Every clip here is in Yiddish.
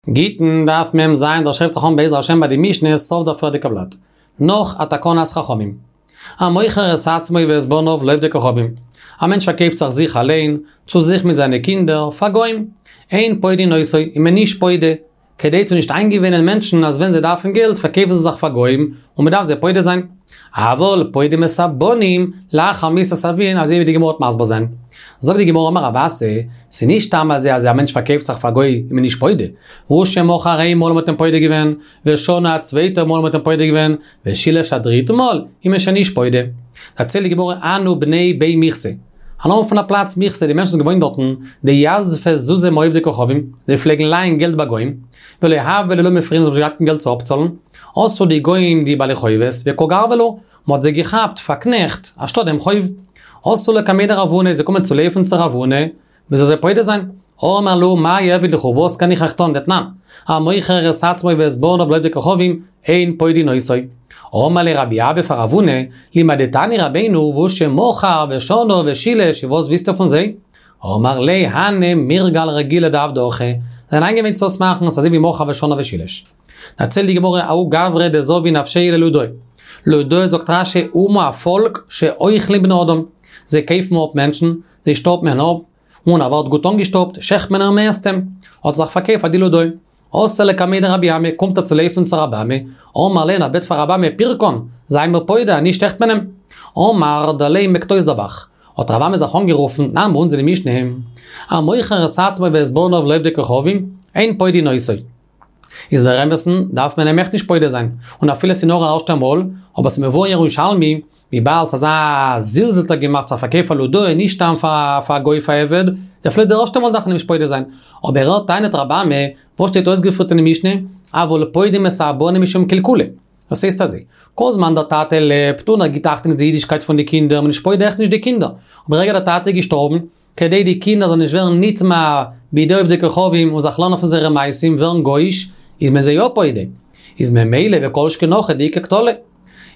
גיטין דף מ"ז, דער שרייבט זיך אן בעזר השם ביי די משנה סוף דער פריערדיגע בלאט. נאך א תקנת חכמים. המוכר את עצמו ואת בניו לעובדי כוכבים. א מענטש פארקויפט זיך זיך אליין, צו זיך מיט זיינע קינדער, פאר גוים. אין פודין אותו, איז מען נישט פודה, כדי צו נישט איינגעוואינען מענטשן אז ווען זיי דארפן געלט פארקויפן זיי זיך פאר גוים, און מען דארף זיי פודה זיין. אבל פודים את הבנים לאחר מיתת אביהן אזוי ווי די גמרא וועט מסביר זיין. זאגט די גמרא אמר רב אסי, ס'איז נישט סתם אזוי אז א מענטש פארקויפט זיך פאר גוי איז מען נישט פודה, והוא שמכר איין מאל מ'האט אים פודה געווען, ושנה א צווייטע מאל מ'האט אים פודה געווען, ושילש א דריטע מאל איז מען שוין נישט פודה. דערציילט די גמרא הנהו בני בי מיכסי. א נאמען פון א פלאץ מיכסי די מענטשן האבן געוואוינט דארטן, דיזפי זוזי מעובדי כוכבים, זיי פלעגן לייען געלט ביי גוים, ולא הוה להו לא מפרעין זיי האבן נישט געהאט קיין געלט צו אפצאלן, אתו די גוים די בעלי חובות וקא גרבי להו, מ'האט זיי געכאפט פאר קנעכט, אנשטאט דעם חוב. אתו לקמיה דרב הונא, זיי קומען צו לויפן צו רב הונא, מ'זאל זיי פודה זיין. אמר להו מאי אעביד לכו, וואס קען איך אייך טון, דתנן, המוכר את עצמו ואת בניו לעובדי כוכבים, אין פודין אותו. אמר ליה רבי אבא פאר רב הונא, לימדתני רבינו והוא שמכר ושנה ושילש, וואס ווילסטו פון זיי? אמר ליה הני מירגל רגילי דעבדי הכי, זיי זענען איינגעוואינט צו עס מאכן, ס'אזוי ווי מכר ושנה ושילש. דערציילט די גמרא ההוא גברא דזבין נפשיה ללודאי. לודאי זאגט רש"י אומה א פאלק שאוכלים בני אדם. זיי קויפן אפ מענטשן, זיי שטאפן אים אפ, און ער ווערט גוט אנגעשטאפט, שעכט מען אים און מ'עסט אים. האט ער זיך פארקויפט פאר די לודאי. אתא לקמיה דרבי אמי, קומט ער צו לויפן צו רבי אמי, אמר ליה ער בעט פאר רבי אמי פירקן, זיי מיר פודה, אנישט שעכט מען אים. אמר דלי מעקט אויס דער ב"ח. האט רבי אמי זיך אנגערופן, תנן ביי אונז אין די משנה, המוכר את עצמו ואת בניו לעובדי כוכבים, אין פודין אותו. איז דער אמת'ן דארף מען אים עכט נישט פודה זיין, און אפילו ס'איז נאר א ערשטע מאל, אבער ס'איז מבואר אין ירושלמי, וויבאלד ס'אזא זלזול האט ער געמאכט זיך פארקויפן פאר לודאי, נישט סתם פאר א גוי פאר עבד, איז אפילו די ערשטע מאל דארף מען אים נישט פודה זיין. אבער ער טענה'ט רבי אמי, וואס שטייט אויסגעפירט אין די משנה, אבל פודים את הבנים משום קלקולא. דאס הייסט אזוי, כל זמן דער טאטע לעבט און ער גיט אכטונג אויף די אידישקייט פון די קינדער, איז מען נישט פודה עכט נישט די קינדער, אבער רגע דער טאטע איז געשטארבן, כדי די קינדער זאלן נישט ווערן נטמע בידי עובדי כוכבים און זיך לערנען פון זייערע מעשים ווערן גוי'איש, איז מען זיי יא פודה. איז ממילא וכל שכן הכא דאיכא קטלא.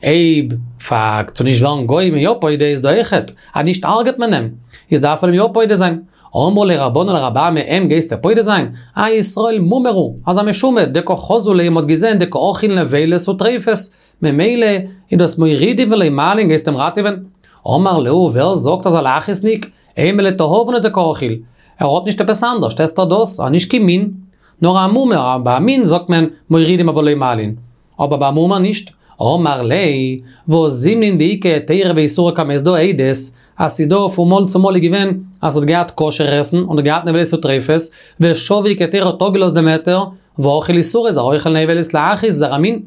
אויב פאר צו נישט ווערן גוי איז מען יא פודה איז דא אויכעט אז נישט הרג'ט מען אים, איז דארף מען אים יא פודה זיין. אמרו ליה רבנן לרבי אמי אים גייסטו פודה זיין? האי ישראל מומר הוא, אזא משומד, דקא חזו ליה מ'האט געזען דקא אכיל נבילות וטריפות, ממילא איז דאס מורידין ולא מעלין גייסט אים ראטעווען? אמר להו ווער זאגט אז א להכעיסניק, אימא לתיאבון הוא דקא אכיל, ער האט נישט עפעס אנדערשט עסט ער דאס, ער נישט קיין מין, נאר א מומר, ביי א מין זאגט מען מורידים אבל לא מעלין, אבער ביי א מומר נישט. אמר ליה, והא זימנין דאיכא היתירא ואיסורא קמיה, ס'דא עדות אז ס'איז דא פון מאל צו מאל איז געווען אז ס'האט געהאט כשר עסן און האט געהאט נבילות וטריפות, ושביק היתירא האט אפגעלאזט דעם היתר, ואכיל איסורא איז ער אוכל נבילות להכעיס איז ער א מין.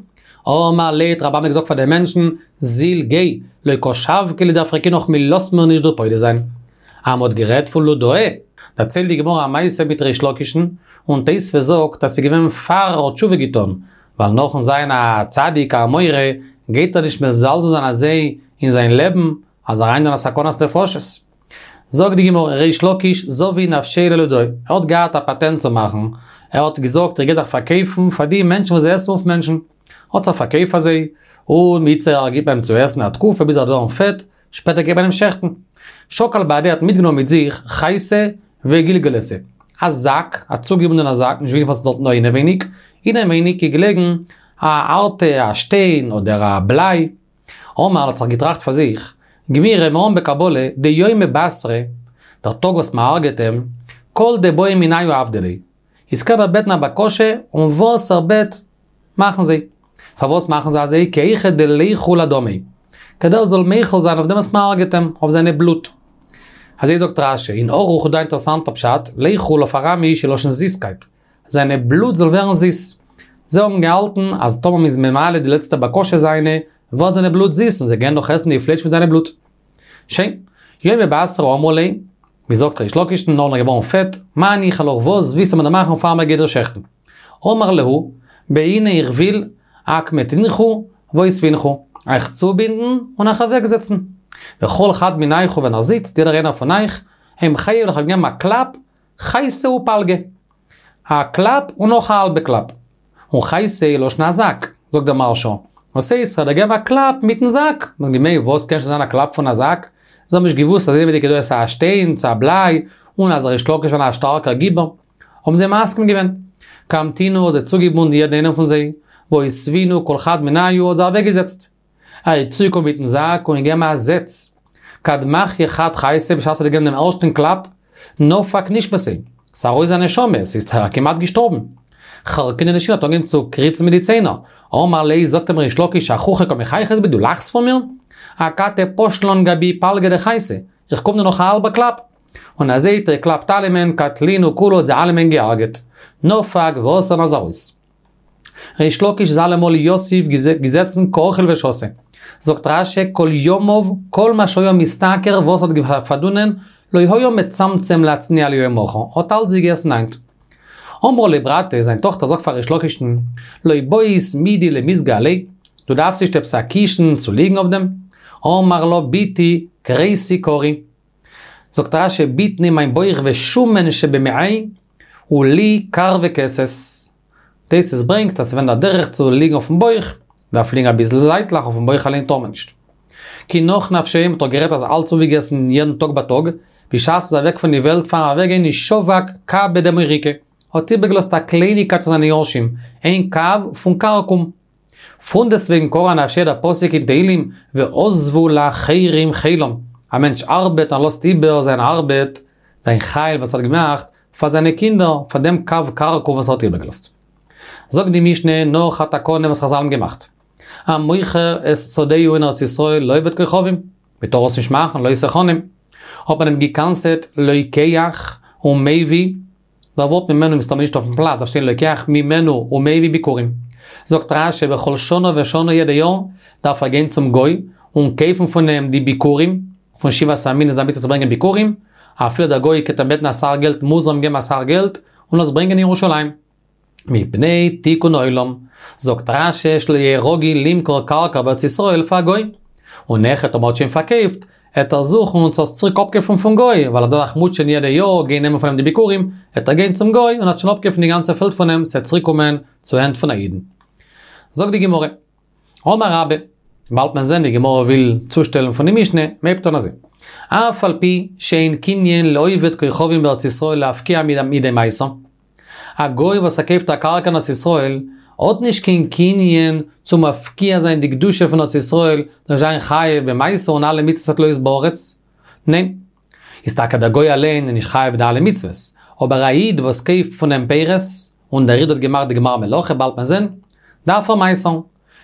אמר ליה האט רבי אמי געזאגט פאר די מענטשן, זיל גיי, לא קא שבקי לי דאפרקינוך מ'לאזט מיר נישט דיר פודה זיין. אז מ'האט גערעדט פון לודאי, דערציילט די גמרא א מעשה מיט ריש לקיש'ן, און תוספות זאגט אז ס'איז געווען פאר ער האט תשובה געטון, ווייל נאכן זיין א צדיק א אמורא גייט ער נישט מזלזל זיין אזוי אין זיין לעבן אז אריין אין א סכנת נפשות. זאגט די גמרא, ריש לקיש זבין נפשיה ללודאי, ער האט געהאט א פאטענט צו מאכן, ער האט געזאגט איך גיי זיך פארקויפן פאר די מענטשן וואס זיי עסן אויף מענטשן, האט זיך פארקויפט פאר זיי, און מיצר גיבט מען אים צו עסן א תקופה ביז ער וועט ווערן פעט, שפעטער גייט מען אים שעכטן. שקל בהדיה האט מיטגענומען מיט זיך חייתא וגלגלתא, א זאק, א צוגעבונדענע זאק, נישט געוואוסט וואס איז דארטן דא אינעווייניג, אינעווייניג איז געלעגן א הארטע א שטיין אדער א בליי. אמר האט זיך געטראכט פאר זיך, גמירי מיר האבן בקבלה דיומא בתרא, דער טאג וואס מען הרג'עט אים, כל דבעי מינייהו עבדי ליה. איז קען ער בעטן א בקשה און וואס ער בעט מאכן זיי. פארוואס מאכן זיי אזוי? כי היכי דליחול אדמיה. כדי ער זאל מוחל זיין אויף דעם וואס מ'הרג'עט אים, אויף זיינע בלוט. אזוי זאגט רש"י, אין ערוך איז דא א אינטערעסאנטער פשט, ליחול אויף אראמיש איז לשון זיסקייט. זיינע בלוט זאל ווערן זיס. זיי האבן געהאלטן אז טאמער מ'איז ממלא די לעצטע בקשה זיינע, ווערט זיינע בלוט זיס און זיי גייען דאך עסן די פלייש מיט זיינע בלוט. שוין. יומא בתרא אמרו ליה, מ'זאגט ריש לקיש'ן נאר נאר געווארן פעט, מה ניחא לך וואס ווילסטו מיר דא מאכן פאר מ'גייט דיר שעכטן? אמר להו, בעינא איך וויל, אקמטינכו ואותבינכו, אייך צובינדן און אייך אוועקזעצן. וכל חד מינייכו ווען ער זיצט, יעדער איינער פון אייך, המחיה וועל איך געבן א קלאפ, חייתא ופלגא. א קלאפ און נאך א האלבע קלאפ. און חייתא איז לשון א זאק, זאגט דער מהרש"א. וואס הייסט, כ'וועל דיר געבן א קלאפ מיטן זאק. מ'האט געמיינט, וואס קען שוין זיין א קלאפ פון א זאק? זיי האבן נישט געוואוסט אז אינעווייניג איז דא עפעס א שטיין צו א בליי, און אז ריש לקיש איז א שטארקער גיבור. האבן זיי מסכים געווען. קמתינהו האט זיי צוגעבונדן יעדן איינעם פון זיי, ואותבינהו כל חד מינייהו האט זיי אוועקגעזעצט. ער איז צוגעקומען מיטן זאק און געגעבן א זעץ, כד מחיא חד חייתא בשעת ער האט געגעבן דעם ערשטן קלאפ, נפק נשמתיה, ס'איז ארויס זיין נשמה, ס'איז ער כמעט געשטארבן. חרקינהו לשיני האט אנגעהויבן צו קריצן מיט די ציינער, אמר ליה זאגט אים ריש לקיש אחוכי קא מחייכת בי דו לאכסט פון מיר? אכתי פש לן גבי פלגא דחייתא, איך קום דיר נאך א האלבע קלאפ. און אזוי האט ער געקלאפט אלעמען, קטלינהו כולהו האט זיי אלעמען געהארגעט. נפק ואתא און איז ארויס. ריש לקיש איז אלעמאל יתיב געזעצן קא אכיל ושתי. זאגט רש"י כל ימיו כל מה שהיה משתכר וואס האט פארדונען לא היה מצמצם להצניע ליום מחר, האט אלץ געגעסן היינט. אמרה ליה ברתיה, זיין טאכטער זאגט פאר ריש לקיש'ן, לא בעית מידי למיסגא עליה, דו דארפסט נישט עפעס א קישן צו ליגן אויף דעם? אמר לה בתי כריסי כרי. זאגט רש"י בטני מיין בויך ושומן שבמעי הוא לי כר וכסת. תוס' ברענגט אז ס'ווען א דרך צו ליגן אויפן בויך, דארף ליגן אביסל זייטליך, אויפן בויך אליין טאר מען נישט. כי נח נפשיה, מ'האט דאך גערעדט אז אלץ אויפגעגעסן יעדן טאג בייטאג, בשעת איז אוועק פון די וועלט פארן אוועקגיין איז שבק קבא דמוריקא, האט איבערגעלאזט א קלייניגקייט פאר זיינע יורשים, איין קב פון כרכום. פונדעסטוועגן קרא אנפשיה דער פסוק אין תהלים ועזבו לאחרים חילם, א מענטש ארבעט און לאזט איבער זיין ארבעט, זיין חיל וואס ער האט געמאכט, פאר זיינע קינדער, פאר דעם קב כרכום וואס ער האט איבערגעלאזט. זאגט די משנה נאך א תקנה וואס חזל האבן געמאכט, המוכר את שדהו אין ארץ ישראל לעובד כוכבים, מען טאר עס נישט מאכן, לא תחנם, האט מען אים גע'קנס'עט לוקח ומביא, דער ווארט ממנו איז מסתמא נישט אויפן פלאץ, דארף שטיין לוקח ממנו ומביא ביכורים. זאגט רש"י בכל שנה ושנה יעדע יאר דארף ער גיין צום גוי און קויפן פון אים די ביכורים, פון שבעת המינים איז א מצוה צו ברענגען ביכורים, אפילו דער גוי קען אים בעטן אסאך געלט מוז ער אים געבן אסאך געלט און עס ברענגען אין ירושלים. מפני תיקון העולם, זאגט רש"י שלא יהא רגיל למכור קרקע בארץ ישראל פאר א גוי. און נאכער טאמער האט שוין פארקויפט, עט ער זוכן צו עס צוריק אפקויפן פון גוי, ווייל ער דארף זיך מוטשען יעדע יאר גיין נעמען פון אים די ביכורים, עט ער גיין צום גוי און עט שוין אפקויפן די גאנצע פעלד פון אים, ס'עט צוריק קומען צו הענט פון א אידן. זאגט די גמרא, אמר רבה, באלד מען זען די גמרא וויל צושטעלן פון די משנה, מ'הייבט אן אזוי, אף על פי שאין קנין לעובד כוכבים בארץ ישראל להפקיע מידי מעשר, א גוי וואס ער קויפט א קרקע אין ארץ ישראל, האט נישט קיין קנין צו מפקיע זיין די קדושה פון ארץ ישראל, זאל זיין חייב במעשר און אלע מצוות התלויות בארץ. ניין. איז טאקע דער גוי אליין איז נישט חייב די אלע מצוות, אבער א איד וואס קויפט פון אים פירות, און דער איד האט געמאכט די גמר מלאכה באלד מען זען, דארף ער מעשר'ן.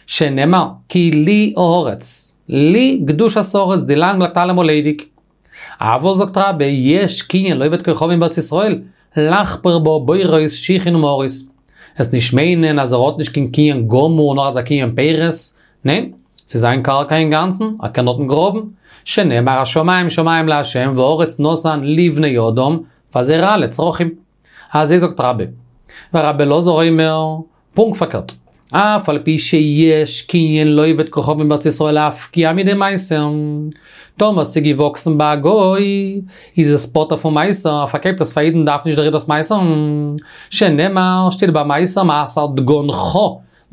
שנאמר, כי לי הארץ, לי קדושת הארץ, די לאנד בלייבט אלעמאל ליידיג. אבל זאגט רבה, יש קנין לעובד כוכבים בארץ ישראל, לחפור בה בורות שיחין ומערות. עס נישט מיינען אז ער האט נישט קיין קנין גמור נאר אזא קנין פירות, ניין, ס'איז זיין קרקע אינגאנצן, ער קען דארטן גראבן, שנאמר השמים שמים לה' והארץ נתן לבני אדם, פאר זייערע אלע צרכים. אזוי זאגט רבה. ורבי אלעזר אומר, פונקט פארקערט, אף על פי שיש קנין לעובד כוכבים בארץ ישראל להפקיע מידי מעשר, טאמער ס'איז געוואקסן ביי א גוי, איז עס פטור פון מעשר, ער פארקויפט עס פאר אידן דארף נישט דער איד דאס מעשר'ן, שנאמר, שטייט ביי מעשר מעשר דגנך,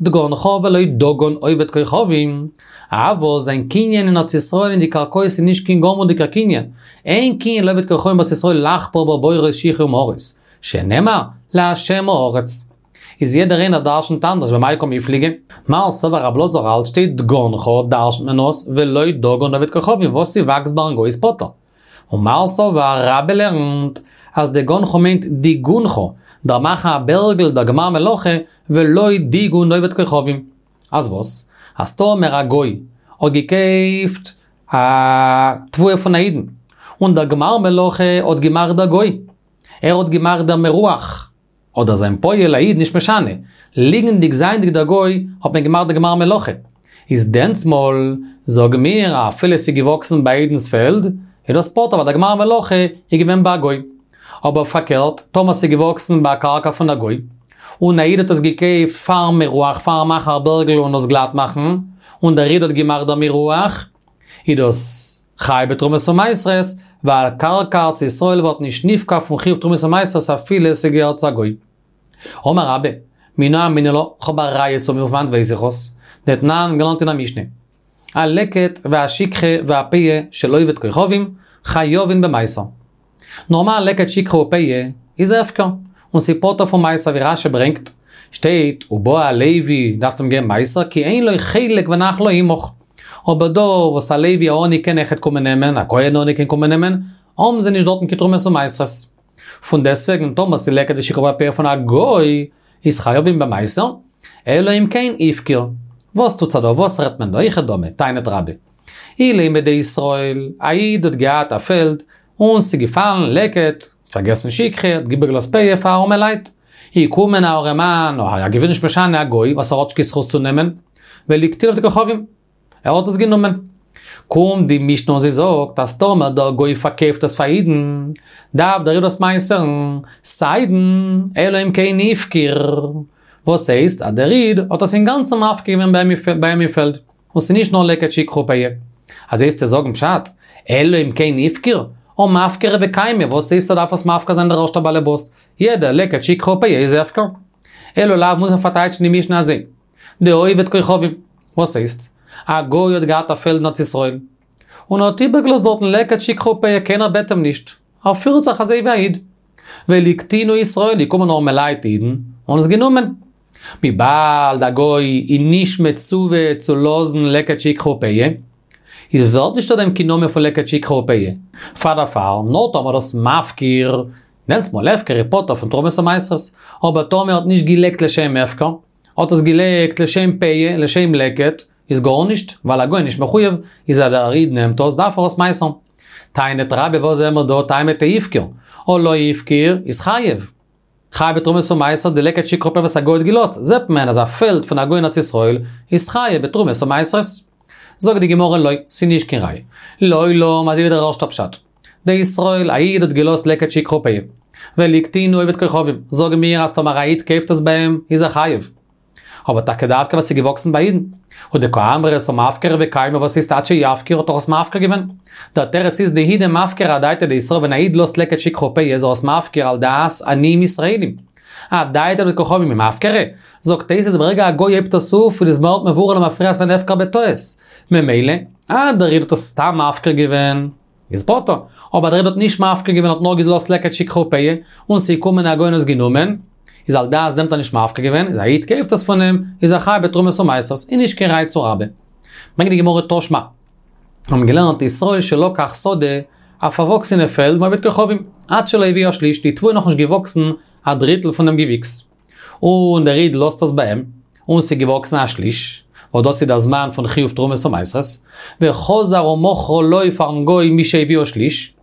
דגנך ולא דגן עובד כוכבים, אבל זיין קנין אין ארץ ישראל אין די קרקעות איז נישט קיין גמור'דיגער קנין, אין קנין לעובד כוכבים בארץ ישראל לחפור בה בורות שיחין ומערות, שנאמר, לה' הארץ. איז יעדער איינער דרשנ'ט אנדערש במאי קמיפלגי. מר סבר רב אלעזר האלט שטייט דגנך דרשנ'ט מען עס ולא דגן עובד כוכבים וואס ס'וואקסט ביים גוי איז פטור. און מר סבר רבה לערנט אז דגנך מיינט דיגונך, דער מאכן א בערגל דער גמר מלאכה ולא דיגון עובד כוכבים. אז וואס? אז טאמער א גוי האט געקויפט א תבואה פון א אידן און דער גמר מלאכה האט געמאכט דער גוי, ער האט געמאכט דער מירוח, אדער זיין פועל א איד נישט משנה, ליגנדיג זייענדיג דער גוי האט מען געמאכט די גמר מלאכה. איז דענסמאל זאג מיר אפילו עס איז געוואקסן ביי א אידנס פעלד, איז דאס פטור ווייל די גמר מלאכה איז געווען ביי א גוי. אבער פארקערט, טאמער עס איז געוואקסן ביי א קרקע פון א גוי, און א איד האט עס געקויפט פארן מירוח פארן מאכן א בערגל און עס גלאט מאכן, און דער איד האט געמאכט דער מירוח, איז דאס חייב בתרומות ומעשרות, ווייל קרקע ארץ ישראל ווערט נישט נפקע פון חיוב תרומות ומעשרות אפילו עס געהערט צו א גוי. אמר רבה, מנא אמינא לה, כ'האב א ראיה צו מיר פון וואנט ווייס איך עס? דתנן, געלערנט אין א משנה. הלקט והשכחה והפאה של עובד כוכבים, חייבין במעשר. נארמאל לקט שכחה ופאה איז הפקר, און ס'איז פטור פון מעשר ווי רשי ברענגט, שטייט ובא הלוי דארפסט אים געבן מעשר כי אין לו חלק ונחלה עמך. אבער דא וואס א לוי א עני קען אויכעט קומען נעמען, א כהן עני קען קומען נעמען, האבן זיי נישט דארטן קיין תרומות ומעשרות. פון דעסוועגן טאמער ס'איז לקט ושכחה ופאה פון א גוי, איז חייבים במעשר, אלא אם כן הפקיר. וואס טוט זיך דא? וואס רעדט מען דא? היכי דמי, טענה'ט רבה. אילימא דישראל, א איד האט געהאט א פעלד, און ס'איז געפאלן לקט, פארגעסן שכחה, האט איבערגעלאזט פאה פאר ארעמע לייט. איז געקומען א ארעמאן, אדער א גביר נישט משנה, א גוי, וואס ער האט נישט קיין זכות צו נעמען, וליקטינהו עובדי כוכבים. ער האט עס גענומען. קומט די משנה און זי זאגט אז טאמער דער גוי פארקויפט עס פאר אידן, דארף דער איד דאס מעשר'ן, סיידן אלא אם כן הפקיר. וואס הייסט אז דער איד האט עס אינגאנצן מפקיר געווען ביי אים אין פעלד, און ס'איז נישט נאר לקט שכחה ופאה. אזוי וועסטו זאגן פשט, אלא אם כן הפקיר, הא מפקרא וקיימא, וואס הייסט ער דארף עס מפקיר זיין דער ערשטער באלעבאס? יעדע לקט שכחה ופאה איז הפקר. אלא לאו מוז מען פארטייטשן די משנה אזוי. דעובד כוכבים. וואס הייסט? א גוי האט געהאט א פעלד אין ארץ ישראל, און ער האט איבערגעלאזט דארטן לקט שכחה ופאה, קיינער בעט אים נישט, ער פירט זיך אזוי ווי א איד. וליקטינהו ישראל, געקומען ארעמעלייט אידן, און עס גענומען. וויבאלד א גוי איז נישט מצווה צו לאזן לקט שכחה ופאה, איז ווערט נישט אויף דעם קיין נאמען פון לקט שכחה ופאה. פאר דערפאר, נאר טאמער דאס מפקיר, דענסטמאל הפקר איז פטור פון תרומות ומעשרות, אבער טאמער ער האט נישט געלייגט לשם הפקר, האט עס געלייגט לשם פאה, לשם לקט, איז גארנישט, ווייל א גוי איז נישט מחויב, איז אז דער איד נעמט עס, דארף ער עס מעשר'ן. טענה'ט רבה וואס זעען מיר דא, טעמא דהפקיר, הא לא הפקיר, איז חייב. חייב בתרומות ומעשר די לקט שכחה ופאה וואס א גוי האט געלאזט, זעט מען אז א פעלד פון א גוי אין ארץ ישראל איז חייב בתרומות ומעשרות. זאגט די גמרא לא, ס'איז נישט קיין ראיה. לעולם אזוי ווי דער ערשטער פשט. דישראל, א איד האט געלאזט לקט שכחה ופאה. וליקטינהו עובד כוכבים, זאגן מיר אז טאמער א איד קויפט עס ביי אים, איז ער חייב. אבער טאקע דווקא וואס איז געוואקסן ביי אידן. ודקאמרת הא מפקרא וקיימא וואס הייסט עד שיפקיר האט ער עס מפקיר געווען. דער תירוץ איז דהי דמפקיר אדעתא דישראל ווען א איד לאזט לקט שכחה ופאה איז ער עס מפקיר על דעת עניים ישראלים. אדעתא דעובד כוכבים מי מפקרא? זאגט תוס' ברגע א גוי הייבט עס אויף איז עס ווערט מבורר למפרע אז ס'איז הפקר בטעות. ממילא, אז דער איד האט עס סתם מפקיר געווען. איז פטור. אבער דער איד האט נישט מפקיר געווען האט נאר געלאזט לקט שכחה ופאה, און ס'איז געקומען א גוי און עס גענומען, איז על דעת דעם האט ער נישט מפקיר געווען, איז א איד קויפט עס פון אים, איז ער חייב בתרומות ומעשרות, איז נישט קיין ראי' צו רבה. ברענגט די גמרא תא שמע. מיר האבן געלערנט ישראל שלקח שדה, א פארוואקסענע פעלד מעובד כוכבים, עד שלא הביאה שליש, די תבואה איז נאכנישט געוואקסן א דריטל פון דעם געוויקס. און דער איד לאזט עס ביי אים, און ס'איז געוואקסן א שליש, וואס דאס איז דער זמן פון חיוב תרומות ומעשרות, וחזר ומכרה לו פארן גוי משהביאה שליש,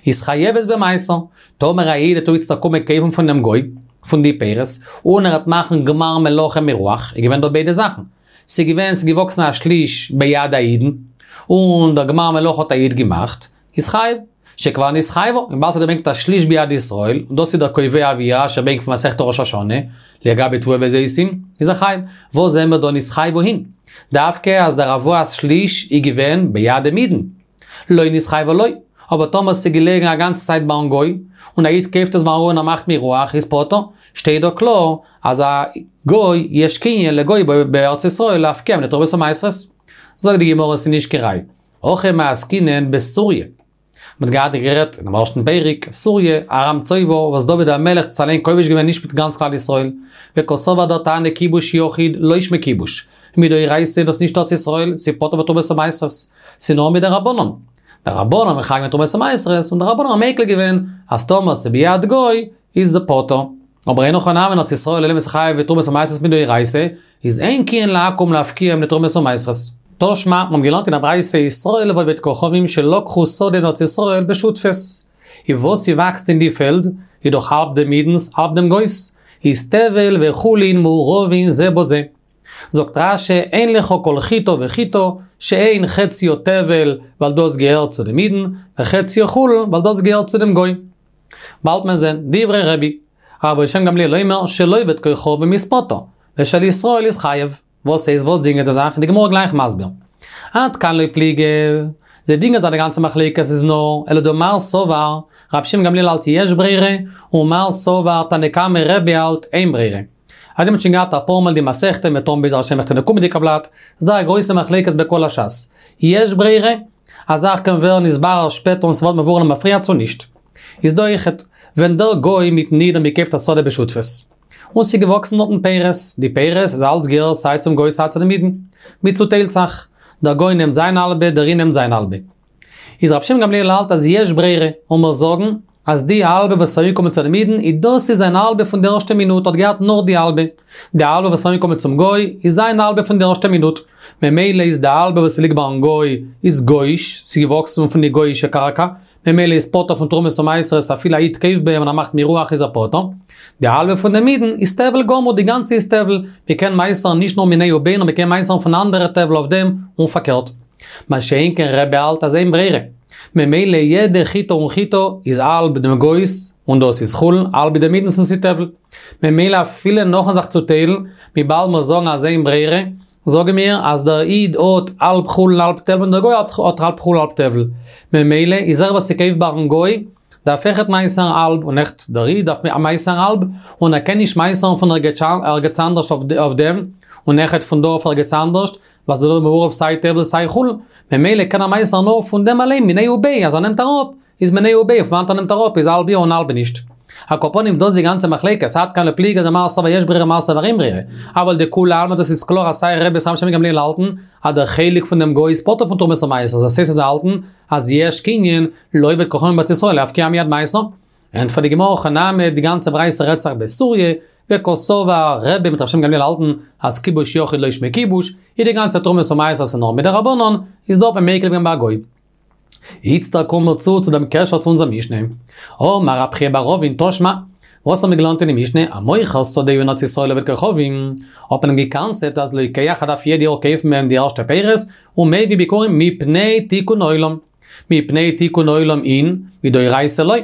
איז חייבת במעשר, טאמער א איד וועט איצטער קומען קויפן פון דעם גוי, פון די פירות, און ער וועט מאכן גמר מלאכה מירוח, איז געווען דא ביידע זאכן, ס'איז געווען, ס'איז געוואקסן א שליש ביד האידן, און דער גמר מלאכה האט א איד געמאכט, איז חייב, שכבר נתחייבה, וויבאלד ס'האט געברענגט א שליש ביד ישראל, און דאס איז דער קובע ווי רש"י ברענגט פון מסכת ראש השנה, לגבי תבואה וזיתים, איז ער חייב. וואס זעהן מיר דא נתחייבה אין? דווקא אז דער הבאת שליש איז געווען ביד דעם אידן. לא נתחייבה לא. אבער טאמער ס'איז געלעגן א גאנצע צייט ביים גוי, און א איד קויפט עס ביים גוי און ער מאכט מירוח, איז פטור. שטייט דא קלאר אז א גוי יש קנין לגוי בארץ ישראל להפקיע ממנו תרומות ומעשרות. זאגט די גמרא ס'איז נישט קיין ראי'. הכא מעסקינן בסוריא. מ'האט געהאט גערעדט אינעם ערשטן פרק, סוריא, ארם צובה, וואס דוד המלך האט עס אליין כובש געווען נישט מיט גאנץ כלל ישראל, וקסבר דער תנא כיבוש יחיד לא שמיה כיבוש, מדאורייתא איז דאס נישט ארץ ישראל, ס'איז פטור בתרומות ומעשרות, ס'איז נאר מדרבנן. די רבנן האבן מחייב געווען תרומות ומעשרות, און די רבנן האבן מיקל געווען אז טאמער ס'איז ביד גוי איז די פטור. אבער אין הכי נמי אין ארץ ישראל אלא ס'חייב בתרומות ומעשרות מדאורייתא, איז אין קנין לעכו"ם להפקיע ממנו תרומות ומעשרות. תא שמע, מיר האבן געלערנט אין א ברייתא ישראל ועובד כוכבים שלקחו שדה אין ארץ ישראל בשותפות. איז וואס ס'וואקסט אין די פעלד, איז דאך האלב דעם אידנ'ס האלב דעם גוי'ס, איז טבל וחולין מעורבין זה בזה. זאגט רש"י אין לך כל חיטה וחיטה שאין חציה טבל ווייל דאס געהערט צו דעם אידן, וחציה חולין ווייל דאס געהערט צו דעם גוי. באלד מען זען, דברי רבי, רבן שמעון גמליאל אומר של עובד כוכבים איז פטור, ושל ישראל איז חייב. וואס הייסט וואס דינגען זיי זיך? די גמרא גלייך מסביר. עד כאן לא פליגי, זיי דינגען זיך די גאנצע מחלוקת איז נאר, אלא דמר סבר, רבי שמעון גמליאל האלט יש ברירה, ומר סבר תנא קמא רבי האלט אין ברירה. אז מ'האט שוין געהאט אפאר מאל די מסכתא מ'וועט האבן בעזר השם אין די קומענדיגע בלאט, איז דא א גרויסע מחלוקת בכל הש"ס. יש ברירה? א זאך קען ווערן נתברר שפעטער און ס'ווערט מבואר למפרע צו נישט. איז דא אויכעט. ווען דער גוי מיטן איד האבן געקויפט א שדה בשותפות, און ס'איז געוואקסן דארטן פירות, די פירות איז אלץ געהערט סיי צום גוי סיי צו דעם אידן, מ'צוטיילט זיך, דער גוי נעמט זיין האלבע, דער איד נעמט זיין האלבע. איז רבי שמעון גמליאל האלט אז יש ברירה, און מיר זאגן אז די האלבע וואס איז אנגעקומען צו דעם אידן איז דאס איז זיין האלבע פון די ערשטע מינוט האט געהאט נאר די האלבע, די האלבע וואס איז אנגעקומען צום גוי איז זיין האלבע פון די ערשטע מינוט, ממילא איז די האלבע וואס ליגט ביים גוי איז גוי'איש, ס'איז געוואקסן פון די גוי'אישע קרקע, ממילא איז פטור פון תרומות ומעשרות אפילו א איד קויפט ביי אים און ער מאכט מירוח איז ער פטור. די האלבע פון דעם אידן איז טבל גמור די גאנצע איז טבל, מ'קען מעשר'ן נישט נאר מיניה וביה נאר מ'קען מעשר'ן פון אנדערע טבל אויף דעם און פארקערט. מה שאין כן רבי האלט אז אין ברירה. ממילא יעדע חיטה און חיטה איז האלב דעם גוי'ס און דאס איז חולין, האלב דעם אידנ'ס און ס'איז טבל. ממילא אפילו נאכן זיך צוטיילן, וויבאלד מיר זאגן אז אין ברירה, זאגן מיר אז דער איד האט האלב חולין האלב טבל און דער גוי האט האלב חולין האלב טבל. ממילא איז ער וואס ס'קויפט ביים גוי דארף אויכעט מעשר'ן האלב און אויכעט דער איד דארף מעשר'ן האלב און ער קען נישט מעשר'ן פון ערגעץ אנדערש אויף דעם און אויכעט פון דא אויף ערגעץ אנדערש ווייל ס'איז דא מעורב סיי טבל סיי חולין ממילא קען ער מעשר'ן נאר פון דעם אליין מיניה וביה אז ער נעמט אראפ איז מיניה וביה פון וואנעט ער נעמט אראפ איז האלב יא און האלב נישט. על כל פנים דאס די גאנצע מחלוקת, עד כאן לא פליגי דמר סבר יש ברירה מר סבר אין ברירה. אבל דכולי עלמא דאס איז קלאר אז סיי רבי סיי רבן שמעון בן גמליאל האלטן אז דער חלק פון דעם גוי איז פטור פון תרומות ומעשרות, דאס הייסט אז זיי האלטן אז יש קנין לעובד כוכבים בארץ ישראל להפקיע מיד מעשר. ענטפערט די גמרא הכא נמי די גאנצע ברייתא רעדט זיך בסוריא, וקסבר רבי מיט רבן שמעון בן גמליאל האלטן אז כיבוש יחיד לא שמיה כיבוש, איז די גאנצע תרומות ומעשרות איז נאר מדרבנן, איז דא האט מען מיקל געווען ביי א גוי. איצטער קומען מיר צו צו דעם קשר צו אונזער משנה. אמר רב חייא בר אבין תא שמע, וואס האבן מיר געלערנט אין די משנה, המוכר שדהו אין ארץ ישראל לעובד כוכבים, האט מען אים גע'קנס'עט אז לוקח ער דארף יעדע יאר קויפן ביי אים די ערשטע פירות, ומביא ביכורים מפני תיקון עולם. מפני תיקון עולם אין, מדאורייתא לא.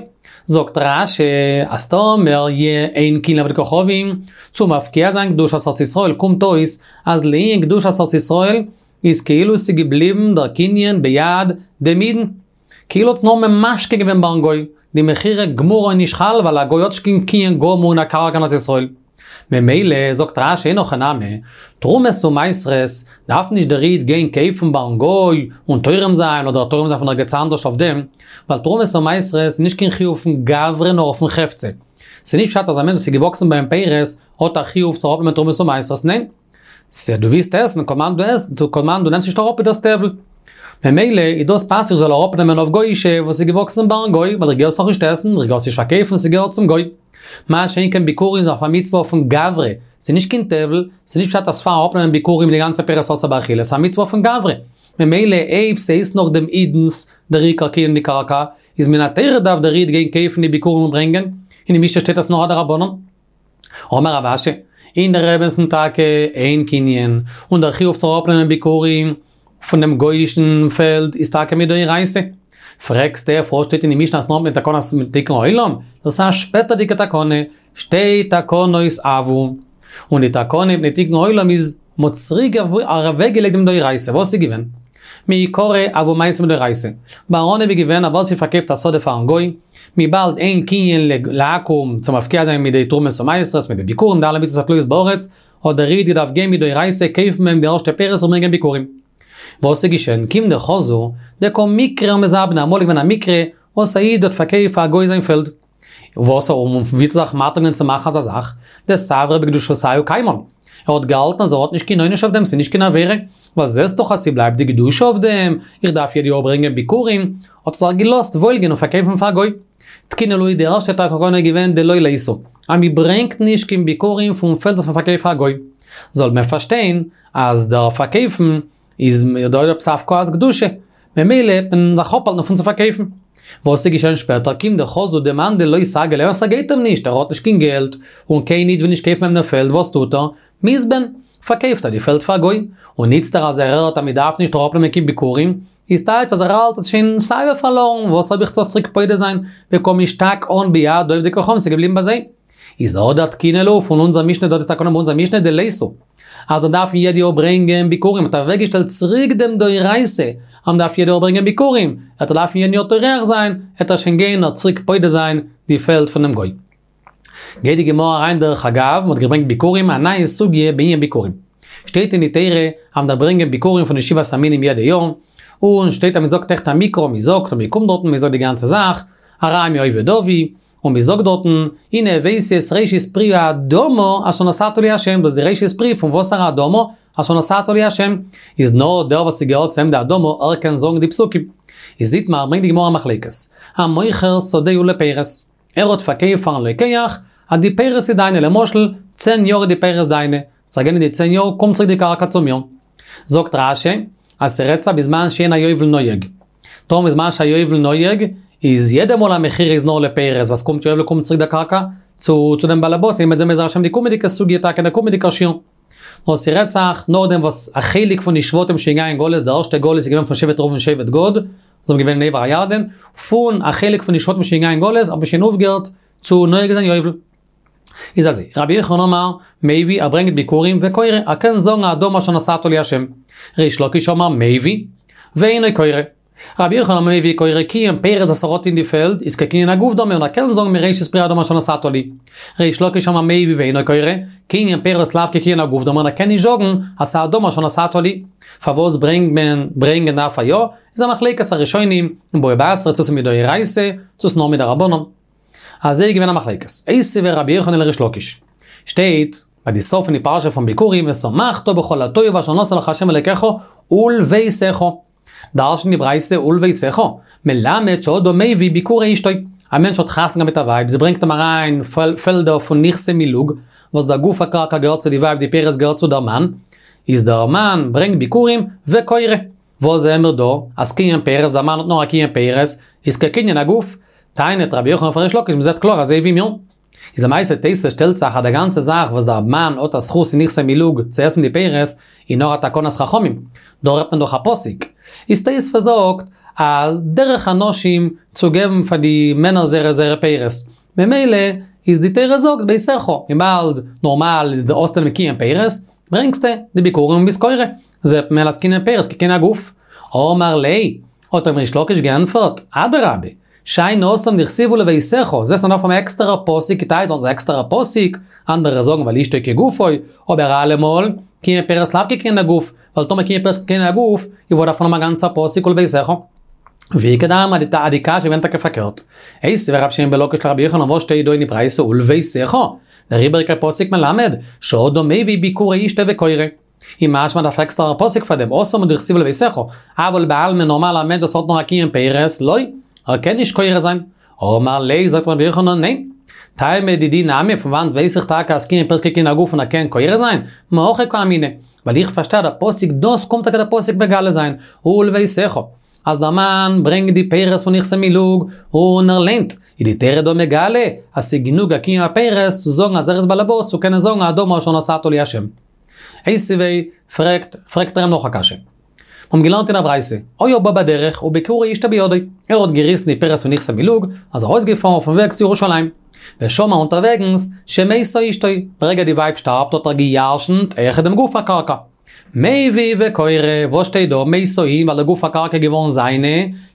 זאגט רש"י, אז טאמער יע אין קנין לעובד כוכבים, צו מפקיע זיין קדושת ארץ ישראל קומט אויס אז לענין קדושת ארץ ישראל איז כאילו ס'איז געבליבן דער קנין ביד דעם אידן. כאילו האט נאר ממשכן געווען ביים גוי, די מכירה גמורה איז נישט חל ווייל א גוי האט נישט קיין קנין גמור אין א קרקע אין ארץ ישראל. ממילא זאגט רש"י אין הכי נמי, תרומות ומעשרות דארף נישט דער איד גיין קויפן ביים גוי און תורם זיין אדער תורם זיין פון ערגעץ אנדערש אויף דעם, ווייל תרומות ומעשרות איז נישט קיין חיוב פון גברא נאר אויפן חפצא. ס'איז נישט פשט אז א מענטש וואס איז געוואקסן ביי אים פירות האט א חיוב צו אראפנעמען תרומות ומעשרות, ניין. סא דו ווילסט עסן, כל זמן דו עסט, כל זמן דו נעמסט נישט אראפ איז דאס טבל. ממילא איז דאס פאסיג זאל אראפנעמען אויף גוי'אישע וואס איז געוואקסן ביים גוי, ווייל איך גיי עס נאך נישט עסן, איך גיי עס נישט פארקויפן, ס'געהערט צום גוי. מה שאין כן ביכורים איז אויף א מצוה פון גברא, ס'איז נישט קיין טבל, ס'איז נישט פשט אז פאר אראפנעמען ביכורים איז די גאנצע פירות אסור באכילה, ס'איז א מצוה פון גברא. ממילא אויב ס'איז נאך דעם אידנ'ס דער עיקר קנין אין די קרקע, איז מן התורה דארף דער איד גיין קויפן די ביכורים און ברענגען, אין די משנה שטייט אז נאר א דרבנן. אמר רב אשי, אין דער אמת'ן טאקע אין קנין, און דער חיוב צו אראפנעמען ביכורים פון דעם גוי'אישן פעלד איז טאקע מדאורייתא. פרעגסטו פארוואס שטייט אין די משנה אז נאר מיט תקנת תיקון עולם? דאס איז א שפעטערדיגע תקנה, שתי תקנות הוו. און די תקנה מפני תיקון עולם איז מ'האט צוריק אוועקגעלייגט דעם דאורייתא, וואס איז געווען? מעיקרא הוו מעשים מדאורייתא. ביי אנהייב איז געווען אז ווער ס'פארקויפט א שדה פארן גוי, וויבאלד אין קנין לעכו"ם צו מפקיע זיין מיט די תרומות ומעשרות, מיט די ביכורים די אלע מצוות התלויות בארץ, האט דער איד געדארפט גיין מדאורייתא קויפן ביי אים די ערשטע פירות און ברענגען ביכורים. וואס איז געשען? כיון דחזו דקא מיקרי ומזבני, אמאל איז געווען א מקרה וואס א איד האט פארקויפט פאר א גוי זיין פעלד. וואס און ווי האט ער זיך מתיר געווען צו מאכן אזא זאך? דסברא בקדושתייהו קיימן. ער האט געהאלטן אז ער האט נישט קיין עונש אויף דעם, ס'איז נישט קיין עבירה, ווייל זעסט דאך אז ס'בלייבט די קדושה אויף דעם, איך דארף יעדע יאר ברענגען ביכורים, האט ער זיך געלאזט וואוילגיין און פארקויפן פאר א גוי. תקינו להו די ערשטע תקנה איז געווען דלא ליתו, אז מ'ברענגט נישט קיין ביכורים פון פעלד וואס מ'פארקויפט פאר א גוי. זאל מען פארשטיין אז דער פארקויפן איז דא עפעס הפקעת קדושה, ממילא וועט מען זיך אפהאלטן פון צו פארקויפן. וואס איז געשען שפעטער? כיון דחזו דמאן דלא סגי ליה, ס'גייט אים נישט, ער האט נישט קיין געלט, און קיין איד וויל נישט קויפן ביי אים דעם פעלד, וואס טוט ער? מזבן, פארקויפט ער די פעלד פאר א גוי. און איצטער אז ער הערט אז מען דארף נישט אראפנעמען קיין ביכורים, איז טייטש אז ער האלט אז שוין סייווי פארלארן, וואס האב איך צו עס צוריק פודה זיין, וקא משתקען ביד עובדי כוכבים, ס'איז געבליבן ביי זיי. איז הדר תקינו להו פון אונזער משנה דא די תקנה ביי אונזער משנה דליתו. אז זיי דארפן יעדע יאר ברענגען ביכורים, האט ער אוועקגעשטעלט צוריק דעם דאורייתא, אז מ'דארף יעדע יאר ברענגען ביכורים, וועט ער דארפן יעדן יאר טורח זיין, וועט ער שוין גיין נאר צוריק פודה זיין די פעלד פונעם גוי. גייט די גמרא אריין דרך אגב, מ'האט געברענגט ביכורים, א נייע סוגיא בענין ביכורים. שטייט אין די תורה אז מ'דארף ברענגען ביכורים פון די שבעת המינים יעדע יאר, און שטייט אז מ'זאגט אויכעט א מקרא, מ'זאגט און מ'קומט דארטן, מ'זאגט די גאנצע זאך, ארמי אובד אבי. און מען זאגט דארטן, הנה הבאתי את ראשית פרי האדמה אשר נתתה לי ה', דאס איז די ראשית פרי פון וואסערע אדמה? אשר נתתה לי ה', איז נאר דער וואס ס'געהערט צו אים די אדמה ער קען זאגן די פסוקים. איז איתמר ברענגט די גמרא א מחלוקת, המוכר שדהו לפירות, ער האט פארקויפט פארן לוקח אז די פירות איז דיינע, למשל צען יאר איז די פירות דיינע, ס'גייען די צען יאר קומט צוריק די קרקע צו מיר. זאגט רש"י אז ס'רעדט זיך בזמן שאין היובל נוהג. טאמער בזמן שהיובל נוהג, איז יעדע מאל א מכירה איז נאר לפירות, וואס קומט יובל קומט צוריק די קרקע צו צו דעם באלעבאס, און מ'וועט זען בעזר השם די קומענדיגע סוגיא טאקע אין די קומענדיגע שיעור. נאר ס'רעדט זיך נאכדעם וואס א חלק פון די שבטים שוין געגאנגען אין גלות, די ערשטע גלות איז געווען פון שבט ראובן און שבט גד, זיי האבן געווען אין עבר הירדן, פון א חלק פון די שבטים שוין געגאנגען אין גלות האט מען שוין אויפגעהערט צו נוהג זיין יובל. איז אזוי, רבי יוחנן אמר, מביא, ער ברענגט ביכורים, וקורא, ער קען זאגן האדמה אשר נתתה לי השם. ריש לקיש אמר, מביא, ואינו קורא. רבי יוחנן אמר מביא וקורא קנין פירות וואס ער האט אין די פעלד איז כקנין הגוף דמי און ער קען זאגן מראשית פרי האדמה אשר נתתה לי. ריש לקיש אמר מביא ואינו קורא, קנין פירות לאו כקנין הגוף דמי און ער קען נישט זאגן אז ס'איז האדמה אשר נתתה לי. פארוואס ברענגט מען ברענגען דארף ער יא? איז א מחלוקת הראשונים אין בבא בתרא צו ס'איז מדאורייתא צו ס'נאר מדרבנן. אזוי איז געווען א מחלוקת. איתיביה רבי יוחנן לריש לקיש. שטייט ביי די סוף פון די פרשה פון ביכורים ושמחת בכל הטוב אשר נתן לך ה' אלוקיך ולביתך. דרש'נט די ברייתא ולביתך, מלמד שאדם מביא ביכורי אשתו. א מענטש האט חתונה מיט א ווייב, זי ברענגט אים אריין פעלדער פון נכסי מילוג, וואס דער גוף הקרקע געהערט צו די ווייב די פירות געהערט צו דער מאן, איז דער מאן ברענגט ביכורים וקורא. וואס זעען מיר דא? אז קנין פירות, דער מאן האט נאר א קנין פירות, איז כקנין הגוף. טענה'ט רבי יוחנן אויף ריש לקיש, מ'זעט קלאר אזוי ווי מיר. איז למעשה תוספות שטעלט זיך אז די גאנצע זאך וואס דער מאן האט א זכות אין נכסי מילוג צו עסן די פירות איז נאר א תקנת חכמים, דא רעדט מען דאך א פסוק. איז תוספות זאגט אז דרך הנשים צו געבן פאר די מענער זייערע זייערע פירות, ממילא איז די תורה זאגט ביתך, וויבאלד נארמאל איז די האסט דעם קנין פירות, ברענגסטו די ביכורים און ביסט קורא, זעט מען אז קנין פירות כקנין הגוף. אמר ליה, האט אים ריש לקיש געענטפערט, אדרבה, שאני התם דכתיב ולביתך, זעסט מ'דארף האבן א עקסטערע פסוק כתאי דארט איז א עקסטערע פסוק, אנדערע זאגן ווייל אשתו כגופו, אבער אלעמאל, קנין פירות לאו כקנין הגוף, ווייל טאמער קנין פירות כקנין הגוף, איז וואס דארף מען האבן א גאנצע פסוק ולביתך? ואיכא דאמרי אז די קשיא איז געווען טאקע פארקערט. איתיביה רבי שמעון בן לקיש לרבי יוחנן וואס שטייט דא אין די ברייתא ולביתך, דער איבעריגער פסוק מלמד, שאדם מביא ביכורי אשתו וקורא. איז משמע דארף עקסטערע פסוק פאר דעם, התם הוא דכתיב ולביתך, אבל בעלמא נארמאל א מענטש וואס האט נאר א קנין פירות, לא, ער קען נישט קורא זיין. אמר ליה זאגט רבי יוחנן ניין. טעמא דידי נמי פון וואנט ווייס איך טאקע אז קנין פירות כקנין הגוף און ער קען קורא זיין? מהכא קאמינא, ווייל איך פארשטיי אז דער פסוק דאס קומט טאקע דער פסוק מגלה זיין, ולביתך. אז דער מאן ברענגט די פירות פון נכסי מילוג און ער ליינט, איז די תורה דא מגלה אז ס'איז גענוג א קנין הפירות צו זאגן אז ער איז באלעבאס צו קענען זאגן האדמה אשר נתתה לי השם. איתיביה, פרעגט, פרעגט ער אים נאך א קשיא. מיר האבן געלערנט אין א ברייתא, היה בא בדרך וביכורי אשתו בידו, ער האט געריסן די פירות פון נכסי מילוג, איז ארויסגעפארן אויפן וועג צו ירושלים. ושמע אונטערוועגנס שמתה אשתו, ברגע די ווייב שטארבט האט ער גע'ירש'נט אויכעט דעם גוף הקרקע. מביא וקורא, וואס שטייט דא? מתה אין, ווייל די גוף הקרקע איז געווארן זיינע,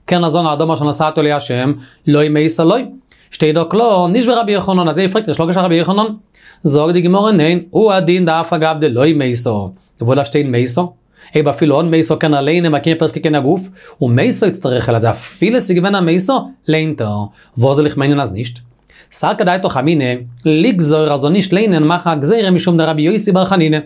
קען ער זאגן האדמה אשר נתתה לי השם, לא מתה לא. שטייט דא קלאר, נישט ווי רבי יוחנן, אזוי פרעגט ריש לקיש אויף רבי יוחנן. זאגט די גמרא ניין, הוא הדין דאף על גב דלא מתה, וואו דארף שטיין מתה? אויב אפילו אן מתה קען ער ליינען ווייל קנין פירות כקנין הגוף, ומתה איצטריכא ליה אז אפילו ס'איז געווען א מתה, ליינט ער. וואס זאל איך מיינען אז נישט? סלקא דעתך אמינא, לגזור אז זאל נישט ליינען מאכן א גזירה משום דרבי יוסי בר חנינא.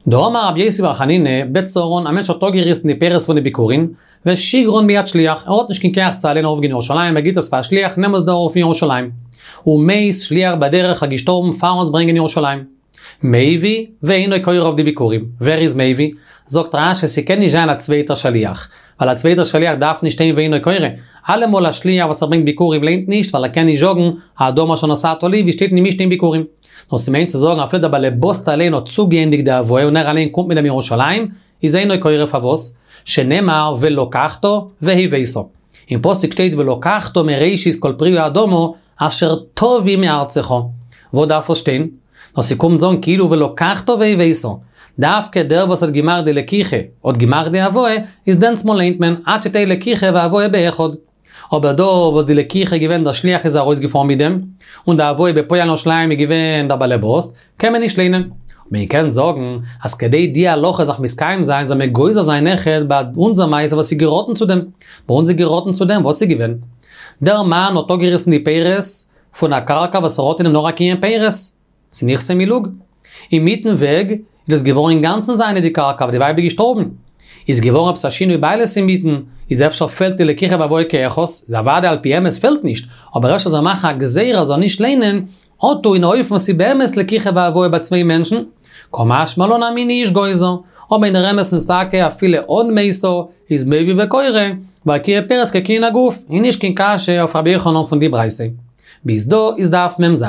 דאמר רבי יוסי בר חנינא, בצרן, א מענטש האט אפגעריסן די פירות פון די ביכורים, ושיגרן ביד שליח, ער האט נישט קיין כח צו אליין ארויפגיין ירושלים, ער גיט עס פאר א שליח, נעם עס דא ארויף אין ירושלים. ומת שליח בדרך איז געשטארבן פארן עס ברענגען ירושלים. מביא ואינו קורא אויף די ביכורים. ווער איז מביא? זאגט רש"י ס'קען נישט זיין א צווייטער שליח. ווייל א צווייטער שליח דארף נישט שטיין ואינו קורא. אלעמאל א שליח וואס ער ברענגט ביכורים ליינט נישט ווייל ער קען נישט זאגן האדמה אשר נתתה לי ווי שטייט אין די משנה אין ביכורים. נאר ס'מיינט צו זאגן אפילו דער באלעבאסט אליין האט צוגעענדיגט די הבאה און ער אליין קומט מיט דעם ירושלים, איז אינו קורא פארוואס? שנאמר ולקחת והבאת. אין פסוק שטייט ולקחת מראשית כל פרי האדמה אשר תביא מארצך. וואו דארף עס שטיין? נאר ס'קומט זאגן כאילו ולקחת והבאת. דווקא דער וואס האט געמאכט די לקיחה האט געמאכט די הבאה, איז דענסמאל ליינט מען עד שתהא לקיחה והבאה באחד. אבער דא וואס די לקיחה איז געווען דער שליח איז ארויסגעפארן מיט דעם, און די הבאה בפועל אין ירושלים איז געווען דער באלעבאסט, קען מען נישט ליינען. מען קען זאגן אז כדי די הלכה זאל זיך מתקיים זיין זאל מען גוזר זיין אויכעט ביי אונזער מעשה וואס איז געראטן צו דעם. ביי אונז איז געראטן צו דעם, וואס איז געווען? דער מאן האט אפגעריסן די פירות פון א קרקע וואס ער האט אין דעם נאר א קנין פירות, ס'איז נכסי מילוג. אינמיטן וועג איז דאס געווארן אינגאנצן זיינע די קרקע ווייל די ווייב איז געשטארבן. איז געווארן עפעס א שינוי בעלות אינמיטן, איז אפשר פעלט די לקיחה והבאה כאחת, איז אוודאי על פי אמת פעלט נישט, אבער אפשר זאל מען מאכן א גזירה אז זאל נישט ליינען, אטו אין א אופן וואס איז באמת לקיחה והבאה ביי צוויי מענטשן, קא משמע לן אז מין איש גוזר, אבער אין דער אמת'ן איז טאקע אפילו אן מתה איז מביא וקורא, ווייל קנין פירות כקנין הגוף, איז נישט קיין קשיא אויף רבי יוחנן פון די ברייתא. ביז דא איז דף מ ז.